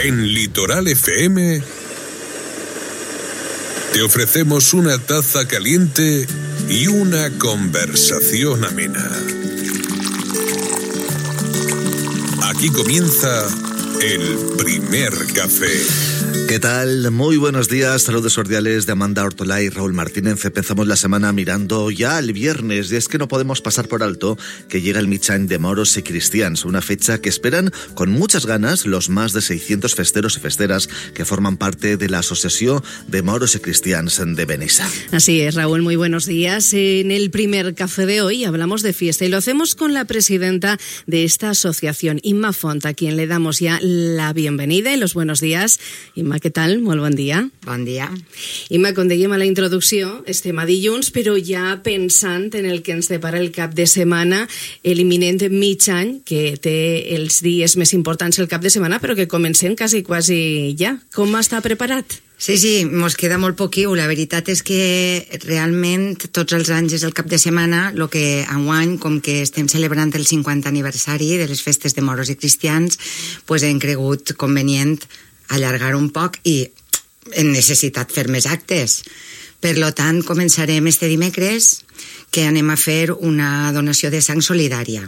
En Litoral FM te ofrecemos una taza caliente y una conversación amena. Aquí comienza el primer café. ¿Qué tal? Muy buenos días, saludos cordiales de Amanda Ortolá y Raúl Martínez. Empezamos la semana mirando ya el viernes y es que no podemos pasar por alto que llega el Mig-Any de Moros y Cristians, una fecha que esperan con muchas ganas los más de 600 festeros y festeras que forman parte de la Asociación de Moros y Cristians de Benissa. Así es, Raúl, muy buenos días. En el primer café de hoy hablamos de fiesta y lo hacemos con la presidenta de esta asociación, Imma Font, a quien le damos ya la bienvenida y los buenos días. Imma, què tal? Molt bon dia. Bon dia. Imma, com dèiem a la introducció, estem a dilluns, però ja pensant en el que ens depara el cap de setmana, l'imminent mig-any, que té els dies més importants el cap de setmana, però que comencem quasi ja. Com està preparat? Sí, mos queda molt poquiu. La veritat és que realment tots els anys és el cap de setmana, el que enguany, com que estem celebrant el 50 aniversari de les festes de Moros i Cristians, pues hem cregut convenient allargar un poc i hem necessitat fer més actes. Per tant, començarem este dimecres, que anem a fer una donació de sang solidària.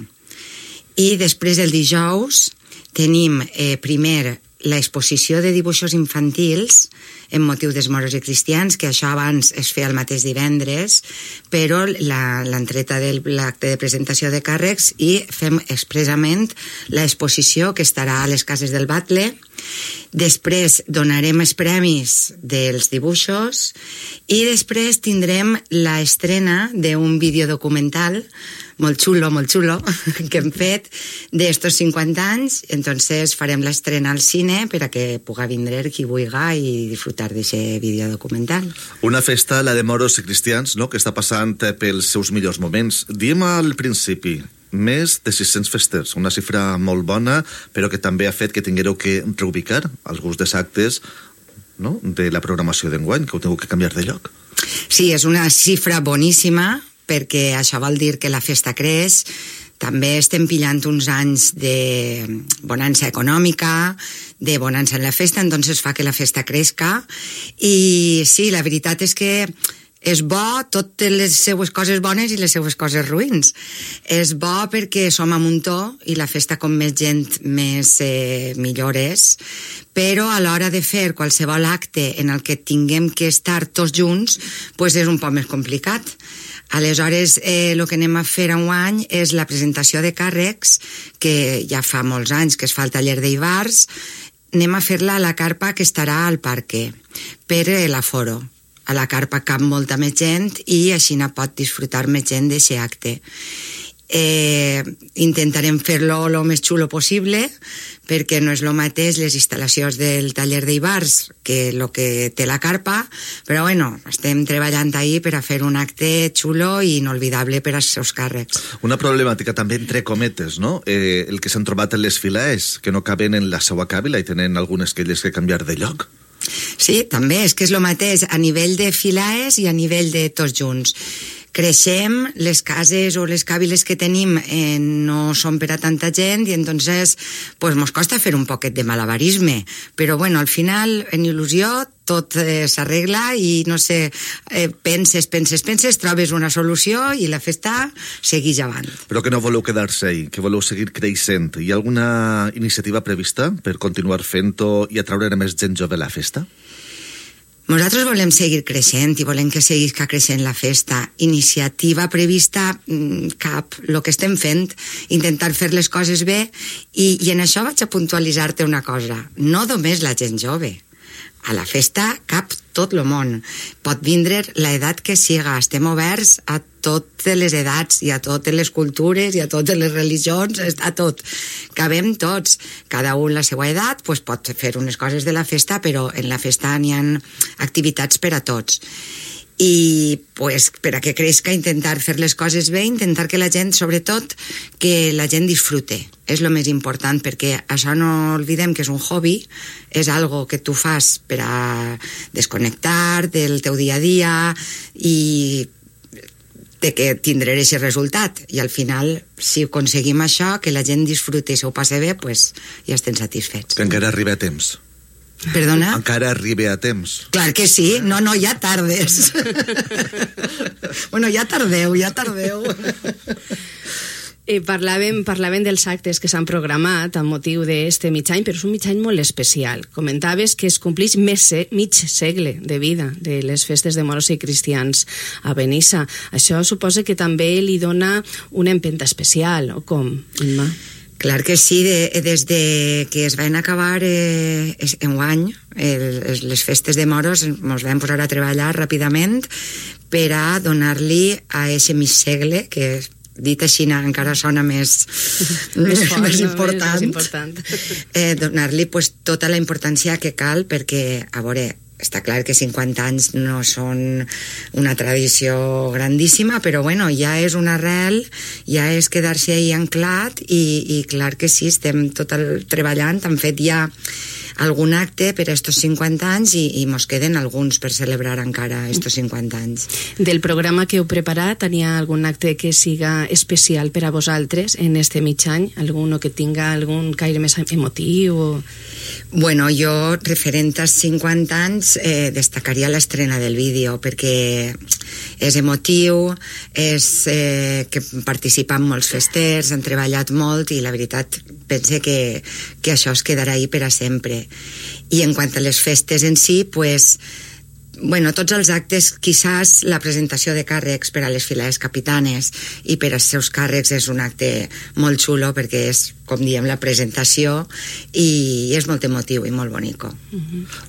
I després, el dijous, tenim primer l'exposició de dibuixos infantils en motiu dels Moros i Cristians, que això abans es feia el mateix divendres, però l'entreta de l'acte de presentació de càrrecs i fem expressament l'exposició que estarà a les cases del Batle. Després donarem els premis dels dibuixos i després tindrem l'estrena d'un videodocumental molt xulo, que hem fet d'estos 50 anys. Entonces farem l'estrena al cine per a que puga vindre qui vulga i disfrutar d'aquest videodocumental. Una festa, la de Moros i Cristians, no?, que està passant pels seus millors moments. Diem al principi, més de 600 festers, una xifra molt bona, però que també ha fet que tinguéreu que reubicar alguns dels actes, no?, de la programació d'enguany, que heu tingut que canviar de lloc. Sí, és una xifra boníssima, perquè això vol dir que la festa creix. També estem pillant uns anys de bonança econòmica, de bonança en la festa, entonces fa que la festa creixca. I sí, la veritat és que és bo totes les seues coses bones i les seues coses ruïns. És bo perquè som a muntó i la festa com més gent més millor és, però a l'hora de fer qualsevol acte en el que tinguem que estar tots junts, pues és un poc més complicat. Aleshores, el que anem a fer enguany és la presentació de càrrecs, que ja fa molts anys que es fa al taller d'Ibars. Anem a fer-la a la carpa que estarà al parque, per l'aforo. A la carpa cap molta més gent i així no pot disfrutar més gent d'aquest acte. Intentarem fer-lo el més xulo possible, perquè no és el mateix les instal·lacions del taller d'Ibars que el que té la carpa, però bueno, estem treballant ahí per a fer un acte xulo i inolvidable per als seus càrrecs. Una problemàtica també entre cometes, no?, el que s'han trobat en les files, que no caben en la seva càbila i tenen algunes que elles que canviar de lloc. Sí, també, és que és el mateix a nivell de filaes i a nivell de tots junts. Creixem, les cases o les càbiles que tenim no són per a tanta gent i entonces pues mos costa fer un poquet de malabarisme, però bueno, al final en il·lusió tot s'arregla i no sé, penses, trobes una solució i la festa segueix avant. Però que no voleu quedar-se ahí, que voleu seguir creixent. Hi ha alguna iniciativa prevista per continuar fent-ho i atraure més gent jove a la festa? Nosaltres volem seguir creixent i volem que seguisca creixent la festa. Iniciativa prevista cap. El que estem fent, intentar fer les coses bé i en això vaig a puntualitzar-te una cosa. No només la gent jove. A la festa cap tot el món. Pot vindre l'edat que siga. Estem oberts a totes les edats i a totes les cultures i a totes les religions, a tot. Cabem tots. Cada un la seva edat pues, pot fer unes coses de la festa, però en la festa n'hi ha activitats per a tots. I pues, per a que creixca, intentar fer les coses bé, intentar que la gent, sobretot, que la gent disfrute. És el més important, perquè això no oblidem que és un hobby, és algo que tu fas per a desconnectar del teu dia a dia i de que tindré aquest resultat. I al final, si aconseguim això, que la gent disfruti i s'ho passe bé, pues ja estem satisfets. Que encara arriba a temps. Perdona? Encara arriba a temps. Clar que sí, no, ja tardes. Bueno, ja tardeu. Parlaven dels actes que s'han programat amb motiu d'este mig any, però és un mig any molt especial. Comentaves que es complix mig segle de vida de les festes de moros i cristians a Benissa. Això suposa que també li dona una empenta especial, o com, Imma? Clar que sí, des de que es van acabar enguany les festes de moros ens vam posar a treballar ràpidament per a donar-li a aquest mig segle, que dit així encara sona més important, donar-li pues, tota la importància que cal, perquè, a veure, està clar que 50 anys no són una tradició grandíssima, però bueno, ja és una arrel, ja és quedar-se ahí anclat i clar que sí, estem treballant, han fet ja algun acte per a estos 50 anys i mos queden alguns per celebrar encara estos 50 anys. Del programa que heu preparat, hi ha algun acte que siga especial per a vosaltres en este mig any? Alguno que tinga algun caire més emotiu? Bueno, jo, referent als 50 anys, destacaria l'estrena del vídeo, perquè és emotiu, és que participen molts festers, han treballat molt i la veritat pense que això es quedarà ahí per a sempre. I en quant a les festes en si, pues, bueno, tots els actes, quizás la presentació de càrrecs per a les filades capitanes i per als seus càrrecs és un acte molt xulo perquè és, com diem, la presentació i és molt emotiu i molt bonico.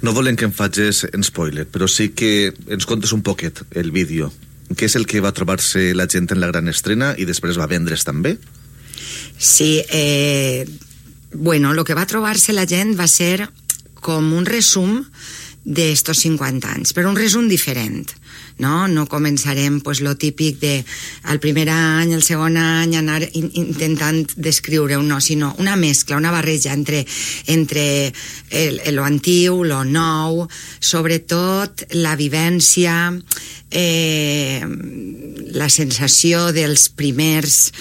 No volem que em facis en spoiler, però sí que ens contes un poquet el vídeo. Què és el que va trobar-se la gent en la gran estrena i després va vendre's també? Sí, bueno, lo que va trobar-se la gent va ser com un resum d'estos 50 anys, però un resum diferent, no? No començarem pues, lo típic de el primer any, el segon any, anar intentant descriure-ho, no, sinó una mescla, una barreja entre lo antiu, lo nou, sobretot la vivència, la sensació dels primers,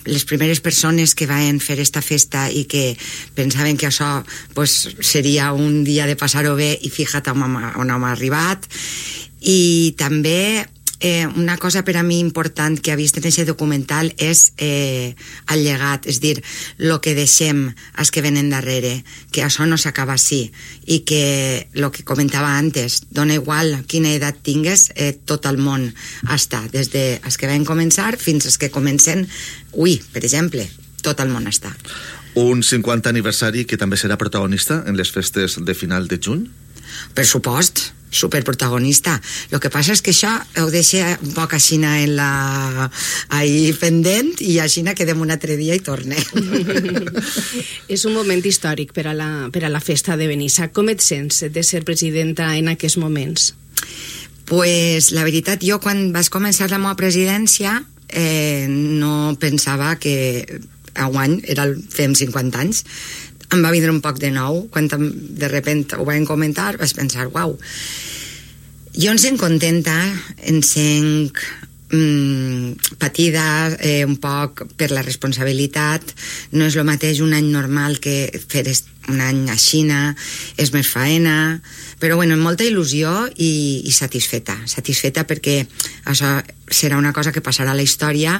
les primeres persones que van fer esta festa i que pensaven que això pues, seria un dia de passar-ho bé i fíjate on hem arribat. I també una cosa per a mi important que he vist en aquest documental és el llegat, és dir, el que deixem als que venen darrere, que això no s'acaba així i que el que comentava antes, dona igual quina edat tingues, tot el món està, des dels que van començar fins als que comencen avui, per exemple, tot el món està. Un 50 aniversari que també serà protagonista en les festes de final de juny? Per supost, superprotagonista. Lo que passa és que això ho deixa un poc així ahí pendent i així quedem un altre dia i torne. És un moment històric per a la festa de Benissa. Com et sents de ser presidenta en aquests moments? Pues la veritat, jo quan vas començar la meva presidència no pensava que enguany fem 50 anys. Em va vindre un poc de nou, quan de repente ho vam comentar, vaig pensar, uau, jo em sent contenta, em sent patida un poc per la responsabilitat, no és el mateix un any normal que fer un any a Xina, és més faena, però bueno, amb molta il·lusió i satisfeta perquè això serà una cosa que passarà a la història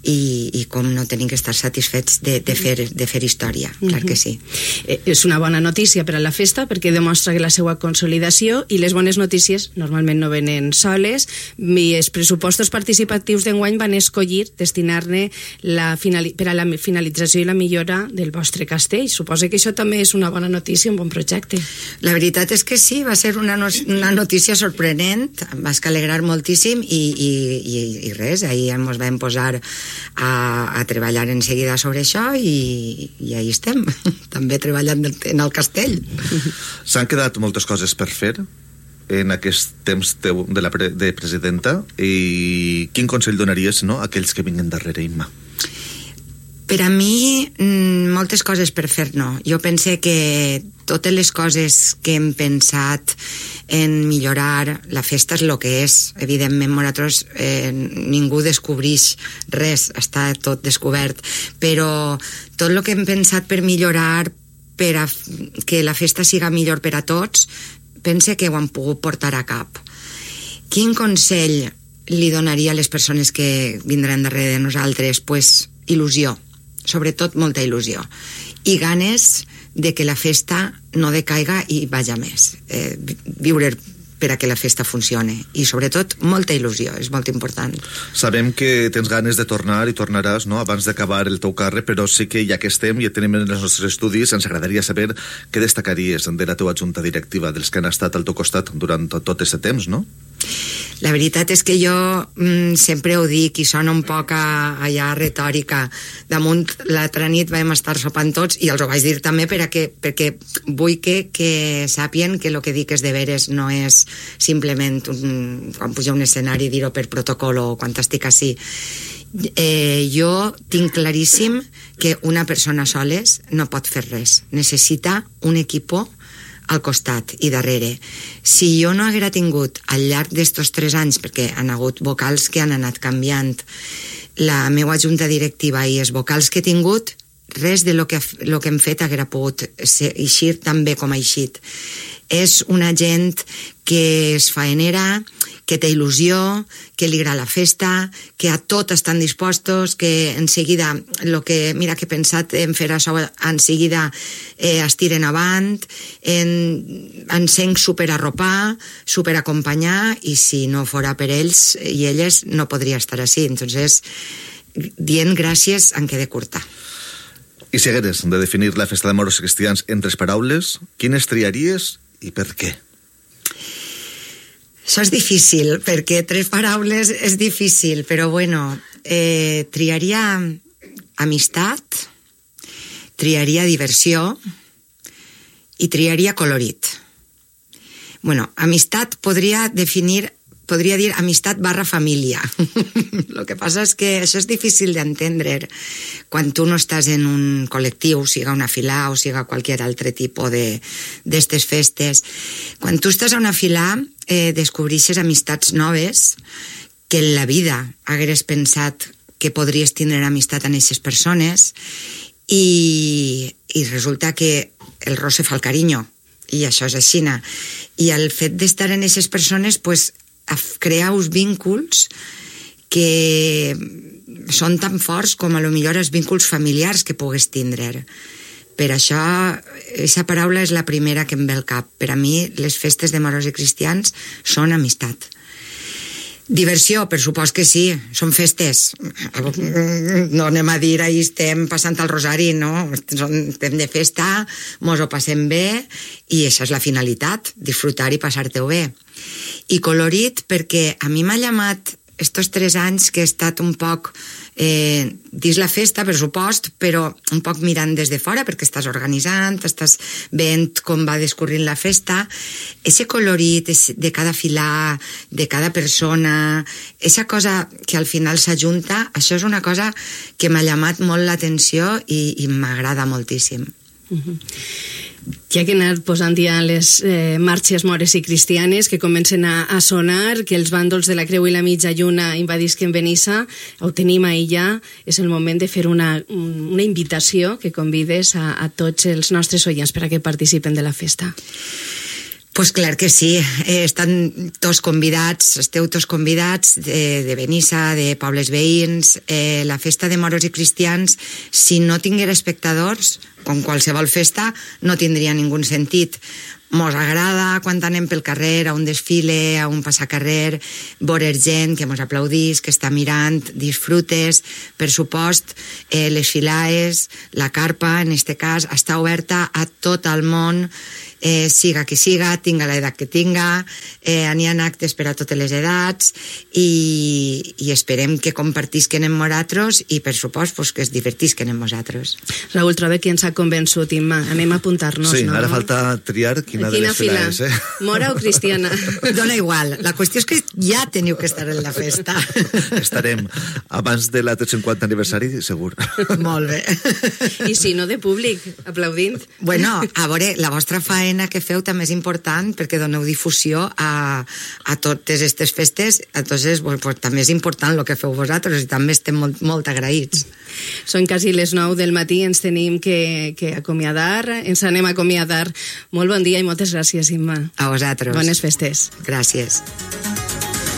i com no tenim que estar satisfets de fer història, clar que sí. És una bona notícia per a la festa perquè demostra que la seva consolidació i les bones notícies normalment no venen soles i els pressupostos participatius d'enguany van escollir destinar-ne per a la finalització i la millora del vostre castell. Suposo que això també és una bona notícia, un bon projecte. La veritat és que sí, va ser una notícia sorprenent, em vas alegrar moltíssim i res, ahir ens vam posar a treballar en seguida sobre això i ahí estem, també treballant en el castell. S'han quedat moltes coses per fer en aquest temps teu de presidenta i quin consell donaries a aquells que vinguen darrere, Imma? Per a mi, moltes coses per fer no. Jo pense que totes les coses que hem pensat en millorar, la festa és el que és. Evidentment, nosaltres ningú descobreix res, està tot descobert, però tot el que hem pensat per millorar, per a que la festa siga millor per a tots, pense que ho han pogut portar a cap. Quin consell li donaria a les persones que vindran darrere de nosaltres? Pues il·lusió, sobretot molta il·lusió, i ganes de que la festa no decaiga i vaja més. Viure per a que la festa funcione, i sobretot molta il·lusió, és molt important. Sabem que tens ganes de tornar i tornaràs, no?, abans d'acabar el teu càrrec, però sí que ja que estem i tenim en els nostres estudis, ens agradaria saber què destacaries de la teva junta directiva, dels que han estat al teu costat durant tot aquest temps, no? La veritat és que jo sempre ho dic i sona un poc allà retòrica. Damunt l'altra nit vam estar sopant tots i els ho vaig dir també perquè vull que sàpien que el que dic és de veres, no és simplement quan puja un escenari dir-ho per protocol o quan estic així. Jo tinc claríssim que una persona soles no pot fer res. Necessita un equipo al costat i darrere. Si jo no haguera tingut al llarg d'estos 3 anys, perquè han hagut vocals que han anat canviant, la meva junta directiva i els vocals que he tingut, res de lo que hem fet haguera pogut eixir tan bé com ha eixit. És una gent que és faenera, que té il·lusió, que li agrada la festa, que a tot estan dispostos, que en seguida, mira que he pensat en fer això, en seguida es tiren avant, ens sent superarropar, superacompanyar, i si no fora per ells i elles no podria estar així. Entonces, dient gràcies en quede curta. I si hagueres de definir la festa de moros i cristians en 3 paraules, quines triaries i per què? Això és difícil, perquè 3 paraules és difícil, però bueno, triaria amistat, triaria diversió i triaria colorit. Bueno, amistat podria dir amistat / família. El que passa és que això és difícil d'entendre quan tu no estàs en un col·lectiu, siga una filà o siga qualsevol altre tipus d'estes festes. Quan tu estàs a una filà, descobreixes amistats noves que en la vida hagueres pensat que podries tindre amistat amb aquestes persones i resulta que el roce fa el carinyo, i això és així. I el fet d'estar en aquestes persones, pues, crear uns vínculs que són tan forts com a lo millor els vínculs familiars que pugues tindre. Per això, aquesta paraula és la primera que em ve al cap. Per a mi, les festes de moros i cristians són amistat. Diversió, per supost que sí, són festes. No anem a dir ahir estem passant el rosari, no? Estem de festa, mos ho passem bé, i això és la finalitat, disfrutar i passar-te-ho bé. I colorit, perquè a mi m'ha llamat estos 3 anys que he estat un poc dins la festa, per supost, però un poc mirant des de fora, perquè estàs organitzant, estàs veient com va discorrint la festa. Ese colorit de cada filà, de cada persona, esa cosa que al final s'ajunta, això és una cosa que m'ha llamat molt l'atenció i m'agrada moltíssim. Ja que he anat posant ja les marxes mores i cristianes que comencen a sonar, que els bàndols de la Creu i la Mitja Lluna invadisquen Benissa, ho tenim ahir ja, és el moment de fer una invitació que convides a tots els nostres oients per a que participen de la festa. Pues clar que sí, estan tots convidats, esteu tots convidats de Benissa, de pobles veïns. La festa de moros i cristians, si no tinguera espectadors, com qualsevol festa, no tindria ningú sentit. Mos agrada quan anem pel carrer, a un desfile, a un passacarrer, veure gent que mos aplaudís, que està mirant, disfrutes. Per supost, les filaes, la carpa, en este cas, està oberta a tot el món siga qui siga, tinga l'edat que tinga, n'hi ha actes per a totes les edats i esperem que compartisquen amb nosaltres i per supost pues, que es divertisquen amb nosaltres. Raül, troba qui ens ha convençut, Imma. Anem a apuntar-nos, sí, no? Ara falta triar quina de les fila és, Mora o cristiana? Dona igual, la qüestió és que ja teniu que estar en la festa. Estarem abans de l'altre 50 aniversari, segur. Molt bé. I si no, de públic, aplaudint. Bueno, a veure, la vostra faena que feu també és important perquè doneu difusió a totes aquestes festes, entonces pues, també és important el que feu vosaltres i també estem molt agraïts. Són quasi les 9 del matí, ens tenim que acomiadar, ens anem a acomiadar. Molt bon dia i moltes gràcies, Imma. A vosaltres. Bones festes. Gràcies.